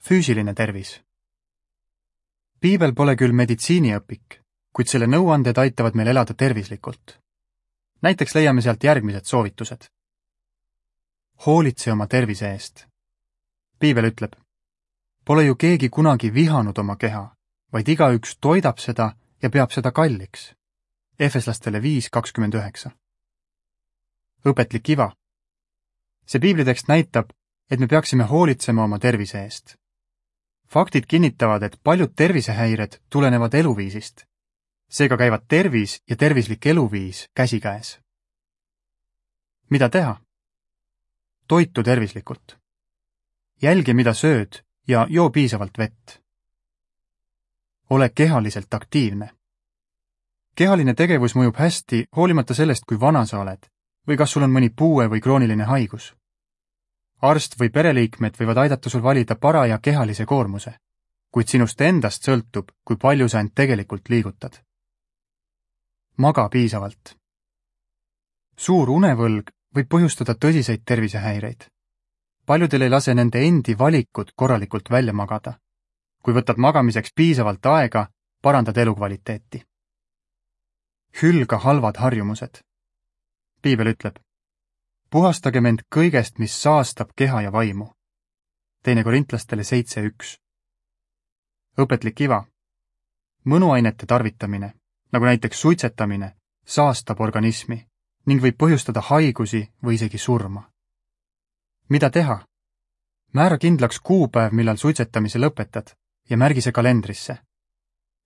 Füüsiline tervis. Piibel pole küll meditsiiniõpik, kuid selle nõuanded aitavad meil elada tervislikult. Näiteks leiame sealt järgmised soovitused. Hoolitse oma tervise eest. Piibel ütleb, pole ju keegi kunagi vihanud oma keha, vaid igaüks toidab seda ja peab seda kalliks. Efeslastele 5:29. Õpetlik iva. See piiblitekst näitab, et me peaksime hoolitsema oma tervise eest. Faktid kinnitavad, et paljud tervisehäired tulenevad eluviisist. Seega käivad tervis ja tervislik eluviis käsikäes. Mida teha? Toitu tervislikult. Jälgi, mida sööd ja joo piisavalt vett. Ole kehaliselt aktiivne. Kehaline tegevus mõjub hästi, hoolimata sellest, kui vana sa oled või kas sul on mõni puue või krooniline haigus. Arst või pereliikmed võivad aidata sul valida paraja kehalise koormuse, kuid sinust endast sõltub, kui palju sa end tegelikult liigutad. Maga piisavalt. Suur unevõlg võib põhjustada tõsiseid tervisehäireid. Paljudel ei lase nende endi valikud korralikult välja magada. Kui võtad magamiseks piisavalt aega, parandad elukvaliteeti. Hülga halvad harjumused. Piibel ütleb, puhastagem end kõigest, mis saastab keha ja vaimu. 2 Korintlastele 7:1. Õpetlik iva. Mõnuainete tarvitamine, nagu näiteks suitsetamine, saastab organismi ning võib põhjustada haigusi või isegi surma. Mida teha? Määra kindlaks kuupäev, millal suitsetamise lõpetad ja märgi see kalendrisse.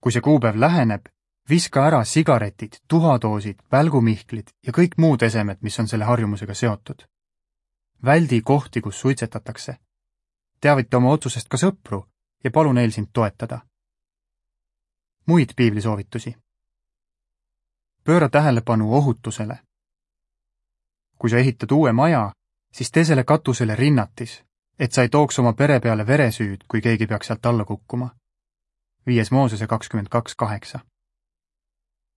Kui see kuupäev läheneb, viska ära sigaretid, tuhadoosid, välgumihklid ja kõik muud esemed, mis on selle harjumusega seotud. Väldi kohti, kus suitsetatakse. Teavita oma otsusest ka sõpru ja palu neil sind toetada. Muid piiblisoovitusi. Pööra tähelepanu ohutusele. Kui sa ehitad uue maja, siis tee selle katusele rinnatis, et sa ei tooks oma pere peale veresüüd, kui keegi peaks sealt alla kukkuma. 5 Moosese 22:8.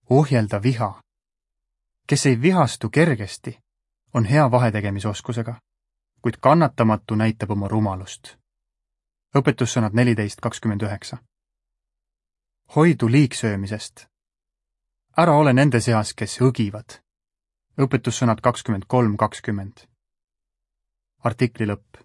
Ohjelda viha. Kes ei vihastu kergesti, on hea vahetegemisoskusega, kuid kannatamatu näitab oma rumalust. Õpetussõnad 14:29. Hoidu liigsöömisest. Ära ole nende seas, kes õgivad. Õpetussõnad 23:20. Artikli lõpp.